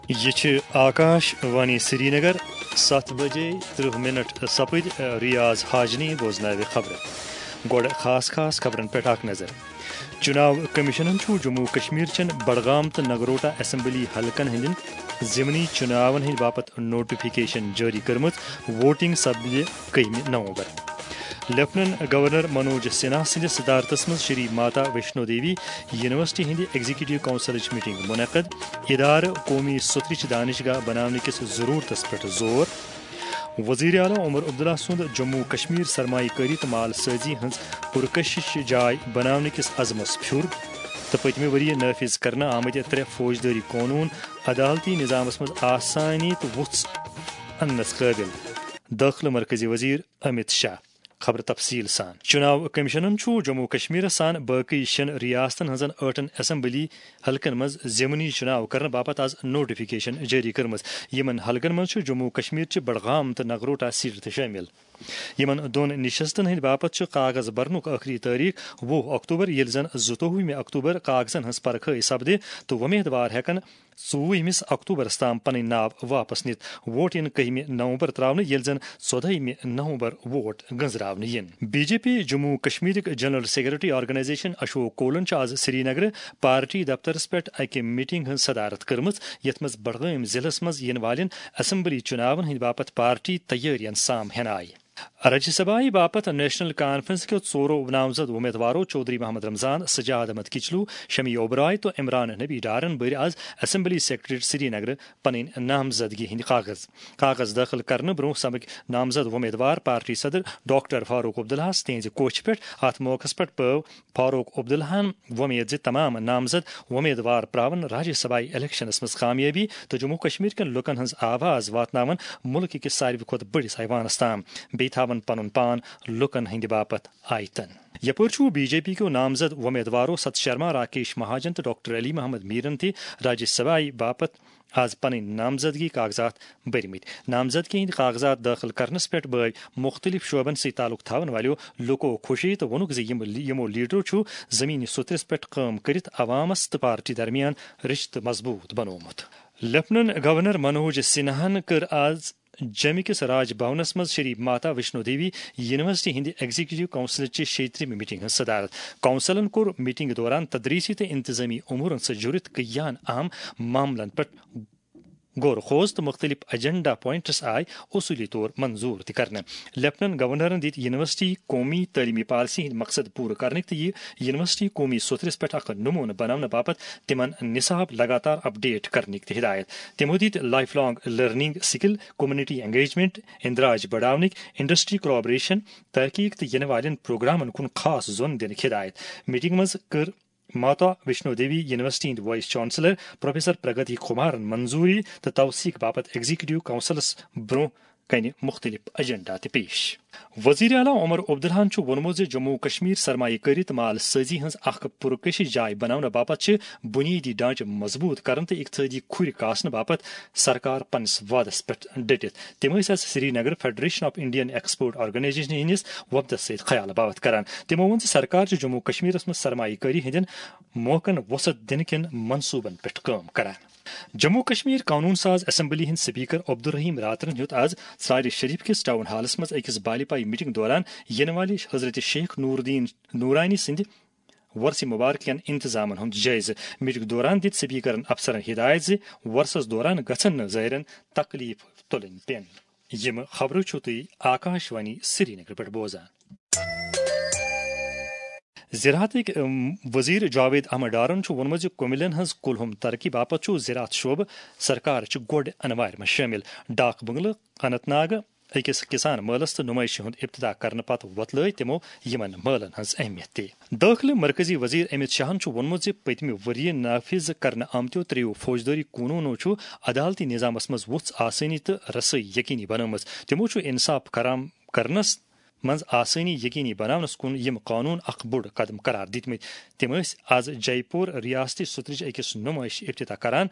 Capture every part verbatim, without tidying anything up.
یہِ چھِ آکاش وانی سرینگر۔ ستھ بجے ترٕہ منٹ سپٕدۍ۔ ریاض حاجنی بوزناوِ خبرٕ۔ گۄڈٕ خاص خاص خبرن پٮ۪ٹھ اکھ نظر۔ چُناو کمیشنن چھُ جموں کشمیر چٮ۪ن بڈگام تہٕ نگروٹا اسمبلی حلقن ہٕنٛدٮ۪ن ضمنی چُناون ہٕنٛدِ باپتھ نوٹیفکیشن جٲری کٔرمٕژ۔ ووٹنگ سپدِ کٔہمہِ نومبر۔ لیفٹننٹ گورنر منوج سنہا سٕنٛدِس صدارتس منٛز شری ماتا ویشنو دیوی یونیورسٹی ہٕنٛدِ ایگزیکٹو کونسلٕچ میٹنگ منعقد۔ ادارٕ قومی سترٕچ دانشگاہ بناونہٕ کِس ضرورتس پٮ۪ٹھ زور۔ وزیر اعلیٰ عمر عبداللہ سُنٛد جموں کشمیر سرمایہ کٲری تہٕ مال سٲزی ہٕنٛز پرکشش جاے بناونہٕ کِس عزمس پھیُر تہٕ پٔتمہِ ؤریہِ نافذ کرنہٕ آمٕتۍ ترٛےٚ فوجدٲری قونوٗن عدالتی نظامس منٛز آسانی تہٕ وُژھ اننس قٲبل۔ دٲخلہٕ مرکزی وزیر امت شاہ۔ خبر تفصیل سان۔ چُناو کمیشنن چھُ جموں کشمیرس سان باقی شٮ۪ن ریاستن ہٕنٛزن ٲٹھن اسمبلی حلقن منٛز ضمنی چُناو کرنہٕ باپتھ آز نوٹیفکیشن جٲری کٔرمٕژ۔ یِمن حلقن منٛز چھُ جموں کشمیر چہِ بڈگام تہٕ نگروٹا سیٹہٕ تہِ شٲمِل۔ یِمن دۄن نشستن ہٕنٛدِ باپتھ چھُ کاغذ برنُک ٲخری تٲریخ وُہ اکتوبر، ییٚلہِ زن زٕتووُہمہِ اکتوبر کاغذن ہٕنٛز پرکھٲے سپدِ تہٕ وۄمیدوار ہٮ۪کن ژوٚوُہمِس اکتوبرس تام پنٕنۍ ناو واپس نِتھ۔ ووٹ یِن کٔہمہِ نومبر تراونہٕ، ییٚلہِ زن ژۄدہمہِ نومبر ووٹ گنزراونہٕ یِن۔ بی جے پی جموں کشمیرٕکۍ جنرل سیکرٹری آرگنائزیشن اشوک کولن چھُ آز سرینگرٕ پارٹی دفترس پٮ۪ٹھ اکہِ میٹنگ ہٕنٛز صدارت کٔرمٕژ، یتھ منٛز بڈگٲمۍ ضلعس منٛز یِنہٕ والٮ۪ن اسمبلی چُناون ہٕنٛدِ باپتھ پارٹی تیٲرین سام ہٮ۪نہٕ آیہِ۔ راجیہ سبھایہ باپتھ نیشنل کانفرنس کیو ژورو نامزد وۄمیدوارو چودھری محمد رمضان، سجاد احمد کچلو، شمی اوبرائے تہٕ عمران نبی ڈارن بٔرۍ آز اسمبلی سیکرٹریٹ سرینگرٕ پنٕنۍ نامزدگی ہٕنٛدۍ کاغذ۔ کاغذ دٲخل کرنہٕ برونٛہہ سمکھۍ نامزد وۄمیدوار پارٹی صدر ڈاکٹر فاروق عبداللہس تِہنٛزِ کوٹھِ پٮ۪ٹھ۔ اتھ موقعس پٮ۪ٹھ پٲو فاروق عبداللہن وۄمید زِ تمام نامزد وۄمیدوار پراون راجیہ سبھایہ الیکشنس منٛز کامیٲبی تہٕ جموں کشمیر کٮ۪ن لوٗکن ہٕنٛز آواز واتناون مُلکہٕ کِس ساروی کھۄتہٕ بٔڑِس ایوانس تام، بیٚیہِ تھاون پنُن پان لوٗکن ہٕنٛدِ باپتھ آیتن۔ یپٲرۍ چھُ بی جے پی کیو نامزد وۄمیدوارو ست شرما، راکیش مہاجن تہٕ ڈاکٹر علی محمد میرن تہِ راجیہ سبھایہ باپتھ آز پنٕنۍ نامزدگی کاغذات بٔرمٕتۍ۔ نامزدگی ہٕنٛدۍ کاغذات دٲخل کرنس پٮ۪ٹھ بٲوۍ مُختٔلِف شعبن سۭتۍ تعلق تھاون والٮ۪و لوٗکو خوشی تہٕ ووٚنُکھ زِ یِم، یِمو لیڈرو چھُ زمینی سوٚتھرس پٮ۪ٹھ کٲم کٔرِتھ عوامس تہٕ پارٹی درمیان رشتہٕ مضبوٗط بنوومُت۔ لیفٹننٹ گورنر منوج سنہاہن کٔر آز جیمہِ کِس راج بھونس منٛز شری ماتا ویشنو دیوی یونیورسٹی ہٕنٛدِ ایگزیکٹو کونسلٕچہِ شیٚیہِ ترٛیٚیمہِ میٹنگ ہٕنٛز صدارت۔ کونسلن کوٚر میٹنگ دوران تدریسی تہٕ انتظامی امورن سۭتۍ جُڑِتھ کینٛہن اہم معاملن پٮ۪ٹھ غور خوض تہٕ مُختٔلِف ایجنڈا پوائنٹس آیہِ اصوٗلی طور منظور تہِ کرنہٕ۔ لیفٹننٹ گورنرن دِتۍ یونیورسٹی قومی تعلیمی پالیسی ہٕنٛدۍ مقصد پوٗرٕ کرنٕکۍ تہٕ یہِ یونیورسٹی قومی سوٚتھرس پٮ۪ٹھ اکھ نمونہٕ بناونہٕ باپتھ تِمن نصاب لگاتار اپڈیٹ کرنٕکۍ تہِ ہدایت۔ تِمو دِتۍ life long learning, skill, community engagement, اندراج بڑاونٕکۍ، انڈسٹری کولابریشن، تحقیق تہٕ یِنہٕ والٮ۪ن پروگرامن کُن خاص زون دِنٕکۍ ہدایت۔ میٹنگ منٛز کٔر ماتا ویشنو دیوی یونیورسٹی ہٕنٛدۍ وائس چانسلر پروفیسر پرگتی کمارن منظوری تہٕ توثیق باپتھ ایگزیکٹو کونسلس برونٛہہ کنہِ مُختٔلِف ایجنڈا تہِ پیش۔ وزیر اعلیٰ عمر عبداللہن چھُ ووٚنمُت زِ جموں و کشمیر سرمایہ کٲری تہٕ مال سٲزی ہٕنٛز اکھ پُرکشش جاے بناونہٕ باپتھ چھِ بُنیٲدی ڈھانچہٕ مضبوٗط کرُن تہٕ اقتصٲدی کھُرۍ کاسنہٕ باپتھ سرکار پننِس وعدس پٮ۪ٹھ ڈٔٹِتھ۔ تِم ٲسۍ آز Srinagar federation of Indian export organisation ہٕنٛدِس وفدس سۭتۍ خیال باوتھ کران۔ تِمو ووٚن زِ سرکار چھِ جموں و کشمیرس منٛز سرمایہ کٲری ہٕنٛدٮ۪ن موقعن وسعت دِنہٕ کٮ۪ن منصوٗبن پٮ۪ٹھ کٲم کران۔ جموں و کشمیر قونوٗن ساز اسمبلی ہٕنٛدۍ سپیکر عبدالرحیم راترن ہیوٚت آز ژرارِ شریف کِس ٹاؤن ہالس منٛز أکِس بالیپایہِ میٹنگ دوران یِنہٕ والہِ حضرت شیخ نوردین نورانی سٕنٛدِ وۄرثہِ مبارک کٮ۪ن انتظامن ہُنٛد جٲیزٕ۔ میٹنگ دوران دِتۍ سپیکرن افسرن ہدایت زِ وۄرثس دوران گژھن نہٕ زٲیرن تکلیف تُلٕنۍ پٮ۪ن۔ یِم خبرٕ چھِو تُہۍ آکاش وانی سرینگر پٮ۪ٹھ بوزان۔ زراعتٕکۍ، ام، وزیر جاوید احمد ڈارن چھُ ووٚنمُت زِ کُمِلٮ۪ن ہٕنٛز کُلہُم ترقی باپتھ چھُ زراعت شعبہٕ سرکار چہِ گۄڈٕ انوارِ منٛز شٲمِل۔ ڈاک بنگلہٕ اننت ناگ أکِس کسان مٲلَس تہٕ نُمٲیشہِ ہُنٛد افتتاح کرنہٕ پتہٕ وۄتلٲے تِمو یِمن مٲلَن ہٕنٛز اہمیت تہِ۔ دٲخلہٕ مرکزی وزیر امت شاہن چھُ ووٚنمُت زِ پٔتمہِ ؤریہِ نافذ کرنہٕ آمتیو ترٛیٚیو فوجدٲری قونوٗنو چھُ عدالتی نظامس منٛز وُژھ آسٲنی تہٕ رسٲیی یقینی بنٲومٕژ۔ تِمو چھُ انصاف فراہم کرنس منٛز آسٲنی یقینی بناونس کُن یِم قونوٗن اکھ بوٚڑ قدم قرار دِتمٕتۍ۔ تِم ٲسۍ آز جے پور ریاستی سوٚترٕچ أکِس نُمٲیشہِ افتتاح کران۔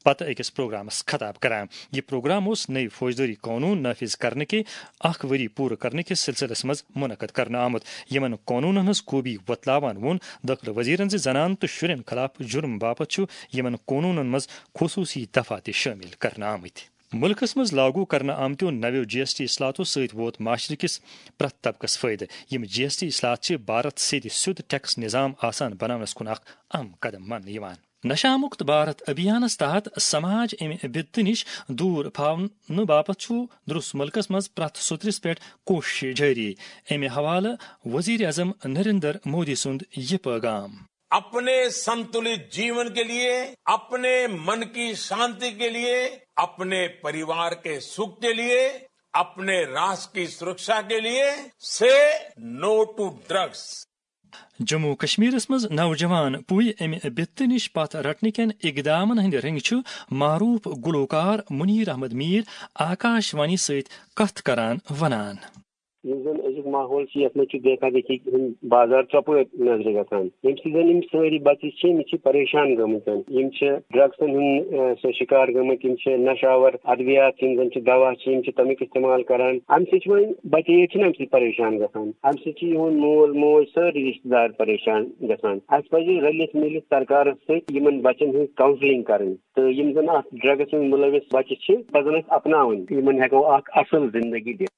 پتہٕ أکِس پروگرامس خطاب کران۔ یہِ پروگرام اوس نٔوۍ فوجدٲری قونوٗن نافذ کرنہٕ کہِ اکھ ؤری پوٗرٕ کرنہٕ کِس سلسلس منٛز منعقد کرنہٕ آمُت، یِمن قونوٗنن ہٕنٛز خوٗبی وۄتلاوان ووٚن دٲخلہٕ وزیرن زِ زنانن تہٕ شُرٮ۪ن خلاف جُرم باپتھ چھُ یِمن قونوٗنن منٛز خصوٗصی دفعہ تہِ شٲمِل کرنہٕ آمٕتۍ۔ مُلکس منٛز لاگو کرنہٕ آمتیو نویو جی ایس ٹی اصلاحاتو سۭتۍ ووت معاشرٕ کِس پرٛٮ۪تھ طبقس فٲیدٕ۔ یِم جی ایس ٹی اصلاحات چھِ بھارت سیٚدِ سیوٚد ٹیکس نظام آسان بناونس کُن اکھ اہم قدم ماننہٕ یِوان۔ نشہ مکت بھارت ابھیانس تحت سماج امہِ بدتہٕ نِش دوٗر پھاونہٕ باپتھ چھُ درست مُلکس منٛز پرٛٮ۪تھ سوٚترِس پٮ۪ٹھ کوٗشش جٲری۔ امہِ حوالہٕ وزیر اعظم نریندر مودی سُنٛد یہِ پیغام۔ अपने संतुलित जीवन के लिए, अपने मन की शांति के लिए, अपने परिवार के सुख के लिए, अपने राष्ट्र की सुरक्षा के लिए, से नो टू ड्रग्स। جموں و کشمیرس منٛز نوجوان پُے امہِ بِتہٕ نِش پتھ رٹنہٕ کٮ۪ن اقدامن ہٕنٛدۍ رٔنگۍ چھُ معروف گلوکار منیر احمد میر آکاش وانی سۭتۍ کتھ کران ونان۔ یُس زن أزیُک ماحول چھُ، یتھ منٛز چھُ دیکھا دیکھی ہُنٛد بازار ژۄپٲرۍ نظرِ گژھان، ییٚمہِ سۭتۍ زن یِم سٲری بچہِ چھِ، یِم چھِ پریشان گٔمٕتۍ، یِم چھِ ڈرگسن ہُنٛد، آ، سُہ شکار گٔمٕتۍ، یِم چھِ نشہٕ آور ادویات، یِم زن چھِ دوا چھِ، یِم چھِ تمیُک استعمال کران۔ امہِ سۭتۍ چھِ وۄنۍ بچہِ یٲتۍ چھِنہٕ امہِ سۭتۍ پریشان گژھان، امہِ سۭتۍ چھِ یِہُنٛد مول موج سٲری رشتہٕ دار پریشان گژھان۔ اسہِ پزِ رلِتھ مِلِتھ سرکارس سۭتۍ یِمن بچن ہٕنٛز counselling کرٕنۍ، تہٕ یِم زن اتھ ڈرگس منٛز مُلوث بچہِ چھِ، پزن اسہِ اپناوٕنۍ، یِمن ہٮ۪کو اکھ اصل زندگی دِتھ۔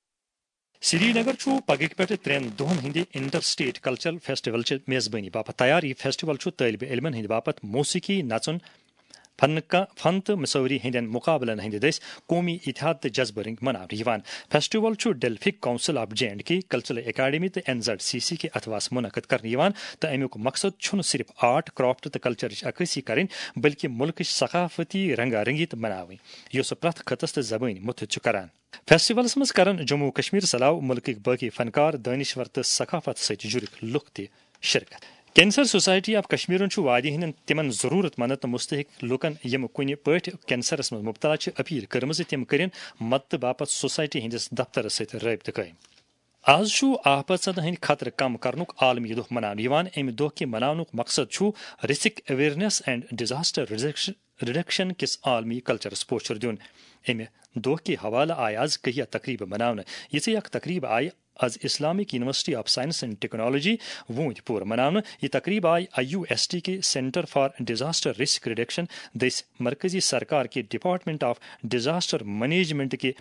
سری نگر چھُ پگہٕکۍ پٮ۪ٹھ ترٛٮ۪ن دۄہن ہٕنٛدِ انٹر سٹیٹ کلچرل فیسٹیول چہِ میزبٲنی باپتھ تیار۔ یہِ فیسٹیول چھُ طٲلبِ علمن ہٕنٛدِ باپتھ موسیقی، نژُن، فن کا-، فن تہٕ مصوری ہٕنٛدٮ۪ن مقابلن ہٕنٛدِ دٔسۍ قومی اتحاد تہٕ جذبہٕ رنگۍ مناونہٕ یِوان۔ فیسٹیول چھُ Delphic council of J and K, cultural academy تہٕ این زیڈ سی سی کہِ اتھواسہٕ منعقد کرنہٕ یِوان تہٕ امیُک مقصد چھُنہٕ صرف آرٹ، کرافٹ تہٕ کلچرٕچ عکٲسی کرٕنۍ، بلکہِ مُلکٕچ ثقافتی رنگا رنگی تہٕ بناوٕنۍ، یۄس پرٛٮ۪تھ خطس تہٕ زبٲنۍ مُتحد چھُ کران۔ فیسٹیولس منٛز کرن جموں و کشمیر علاوٕ مُلکٕکۍ باقی فنکار، دٲنشور تہٕ ثقافت سۭتۍ جُڑِتھ لُکھ تہِ شرکت۔ کینسر سوسائٹی آف کشمیرن چھُ وادی ہٕنٛدٮ۪ن تِمن ضروٗرت مند تہٕ مستحق لوٗکن، یِم کُنہِ پٲٹھۍ کینسرس منٛز مُبتلا چھِ، اپیل کٔرمٕژ زِ تِم کٔرِن مدتہٕ باپتھ سوسائٹی ہٕنٛدِس دفترس سۭتۍ رٲبطہٕ قٲیِم۔ آز چھُ آفتن ہٕنٛدۍ خطرٕ کم کرنُک عالمی دۄہ مناونہٕ یِوان۔ اَمہِ دۄہ کہِ مناونُک مقصد چھُ risk awareness and disaster reduction reduction کِس عالمی کلچرس پوچھر دیُن۔ اَمہِ دۄہ کہِ حوالہٕ آیہِ آز کیٚنٛہہ تقریبہٕ مناونہٕ۔ یِژھے اکھ تقریب آیہِ آز Islamic university of science and technology Awantipora مناونہٕ۔ یہِ تقریب آیہِ آئی یو ایس ٹی کہِ Centre for Disaster Risk Reduction دٔسۍ مرکزی سرکار کہِ Department of Disaster Management کہِ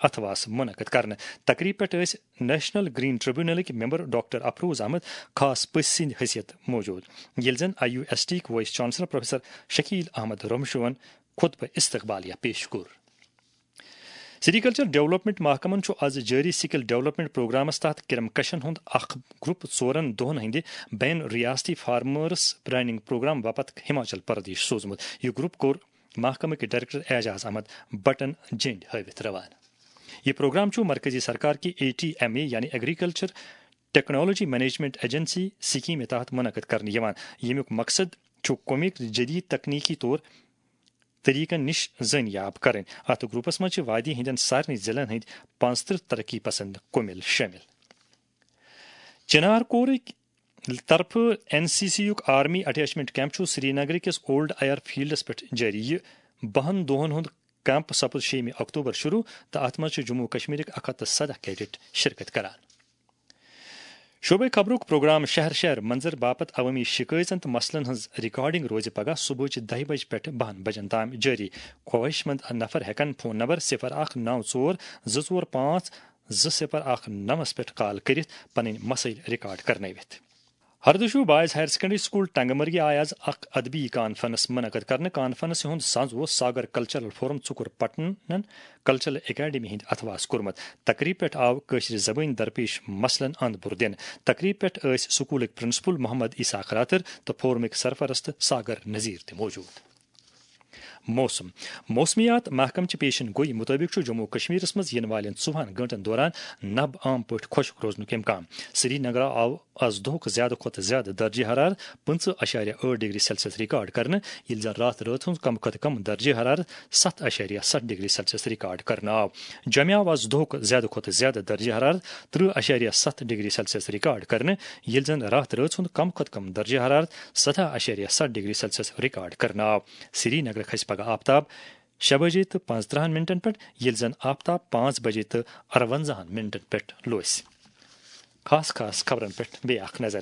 اتھواس منعقد کرنہٕ۔ تقریب پٮ۪ٹھ ٲسۍ نیشنل گرین ٹریبونلٕکۍ ممبر ڈاکٹر افروز احمد خاص پٔژھۍ سٕنٛدِ حیثیت موجود، ییٚلہِ زن آئی یو ایس ٹی یِکۍ vice chancellor professor Shakeel Ahmad رمشوہن خطبہ استقبالیہ پیش کوٚر۔ سری کلچر ڈیولپمنٹ محکمن چھُ از جٲری سکل ڈیولپمنٹ پروگرامس تحت کرم کشن ہُنٛد اکھ گروپ ژورن دۄہن ہٕنٛدِ بین ریاستی فارمرس ٹریننگ پروگرام باپتھ ہماچل پردیش سوزمُت۔ یہِ گروپ کوٚر محکمہٕ کہِ ڈائریکٹر اعجاز احمد بٹن جنڈ ہٲوِتھ روانہٕ۔ یہِ پروگرام چھُ مرکزی سرکار کہِ اے ٹی ایم اے یعنی ایگریکلچر ٹیکنالوجی مینجمنٹ ایجنسی سکیمہِ تحت منعقد کرنہٕ یِوان، ییٚمیُک مقصد چھُ قومٕکۍ جدید تکنیکی طور طریقن نِش زٲنیاب کرٕنۍ۔ اتھ گروپس منٛز چھِ وادی ہٕنٛدٮ۪ن سارنٕے ضلعن ہٕنٛدۍ پانٛژترٕہ ترقی پسند کُمِل شٲمِل۔ چنار کورٕکۍ طرفہٕ این سی سی یُک آرمی اٹیچمنٹ کیمپ چھُ سری نگر کِس اولڈ ایئر فیلڈس پٮ۪ٹھ جٲری۔ یہِ بَہَن دۄہَن ہُنٛد کیمپ سپُد شیٚیِمہِ اکتوبر شروع تہٕ اتھ منٛز چھِ جموں و کشمیرٕکۍ اکھ ہتھ تہٕ سداہ کیڈٹ شرکت کران۔ شعبہ خبرُک پروگرام شہر شہر منظر باپتھ عوٲمی شکایژن تہٕ مسلن ہٕنٛز ریکارڈنگ روزِ پگاہ صبحٕچ دَہہِ بجہِ پٮ۪ٹھ بَہَن بجن تام جٲری۔ خواہش مند نفر ہٮ۪کن فون نمبر صفر اکھ نو ژور زٕ ژور پانٛژھ زٕ صفر اکھ نوَس پٮ۪ٹھ کال کٔرِتھ پنٕنۍ مسائل ریکارڈ کرنٲوِتھ۔ Hardshiva boys higher secondary school ٹنگمرگی آیہِ آز اکھ ادبی کانفرنس منعقد کرنہٕ۔ کانفرنس ہُنٛد سنز اوس ساگر کلچرل فورم ژُکُر پٹنن کلچرل اکیڈمی ہٕنٛدِ اتھواس کوٚرمُت۔ تقریب پٮ۪ٹھ آو کٲشرِ زبٲنۍ درپیش مسلن اند بُر دِنہٕ۔ تقریب پٮ۪ٹھ ٲسۍ سکولٕکۍ پرنسپل محمد اسحاق راتر تہٕ فورمٕکۍ سرپرست ساگر نذیر تہِ موجود۔ موسم۔ موسمیات محکمہٕ چہِ پیشن گوئی مُطٲبِق چھُ جموں و کشمیرس منٛز یِنہٕ والٮ۪ن ژوٚوُہن گٲنٛٹن دوران نب عام پٲٹھۍ خۄشک روزنُک امکان۔ سری نگرٕ آو آز دۄہُک زیادٕ کھۄتہٕ زیادٕ درجہ حرارت پٕنٛژٕہ اَشاریہ ٲٹھ ڈگری سیلسیس ریکارڈ کرنہٕ، ییٚلہِ زن راتھ رٲژ ہُنٛد کم کھۄتہٕ کم درجہ حرارت ستھ اَشاریہ ستھ ڈگری سیلسیس ریکارڈ کرنہٕ آو۔ جوٚمہِ آو آز دۄہُک زیادٕ کھۄتہٕ زیادٕ درجہ حرارت ترٕٛہ اَشاریہ ستھ ڈگری سیلسیس ریکارڈ کرنہٕ، ییٚلہِ زن راتھ رٲژ ہُنٛد کم کھۄتہٕ کم درجہ حرارت سداہ اَشاریہ ستھ ڈگری سیلسیس ریکارڈ کرنہٕ آو۔ سری نگر کھسہِ آفتاب شےٚ بجے تہٕ پانٛژترٕٛہن منٹن پٮ۪ٹھ، ییٚلہِ زن آفتاب پانٛژھ بجے تہٕ ارونزاہن منٹن پٮ۪ٹھ لوسہِ۔ خاص خاص خبرن پٮ۪ٹھ بیٚیہِ اکھ نظر۔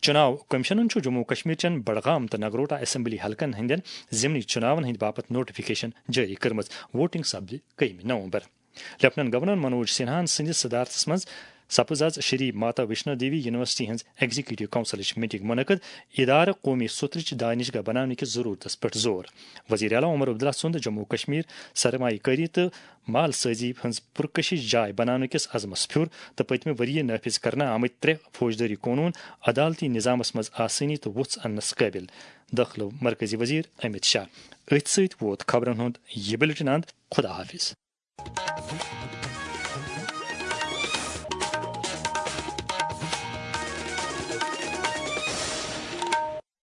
چُناو کمیشنن چھُ جموں و کشمیر چٮ۪ن بڈگام تہٕ نگروٹا اسمبلی حلقن ہٕنٛدٮ۪ن ضمنی چُناون ہٕنٛدِ باپتھ نوٹیفکیشن جٲری کٔرمٕژ۔ ووٹنگ سپدِ کٔہمہِ نومبر۔ لیفٹیننٹ گورنر منوج سنہاہن سٕنٛدِس صدارتس منٛز سپٕز از شری ماتا ویشنو دیوی یونیورسٹی ہٕنٛز ایگزیکیٹو کونسلٕچ میٹنگ منعقد۔ ادارٕ قومی سترٕچ دانشگاہ بناونہٕ کِس ضرورتس پٮ۪ٹھ زور۔ وزیر اعلیٰ عمر عبداللہ سُنٛد جموں و کشمیر سرمایہ کٲری تہٕ مال سٲزی ہٕنٛز پرکشش جاے بناونہٕ کِس عزمس پھیُر تہٕ پٔتمہِ ؤریہِ نافذ کرنہٕ آمٕتۍ ترٛےٚ فوجدٲری قونوٗن عدالتی نظامس منٛز آسٲنی تہٕ وُژھ اننس قٲبل۔ دٲخلہٕ مرکزی وزیر امت شاہ۔ أتھۍ سۭتۍ ووت خبرن ہُنٛد یہِ بلیٹن اند۔ خدا حافظ۔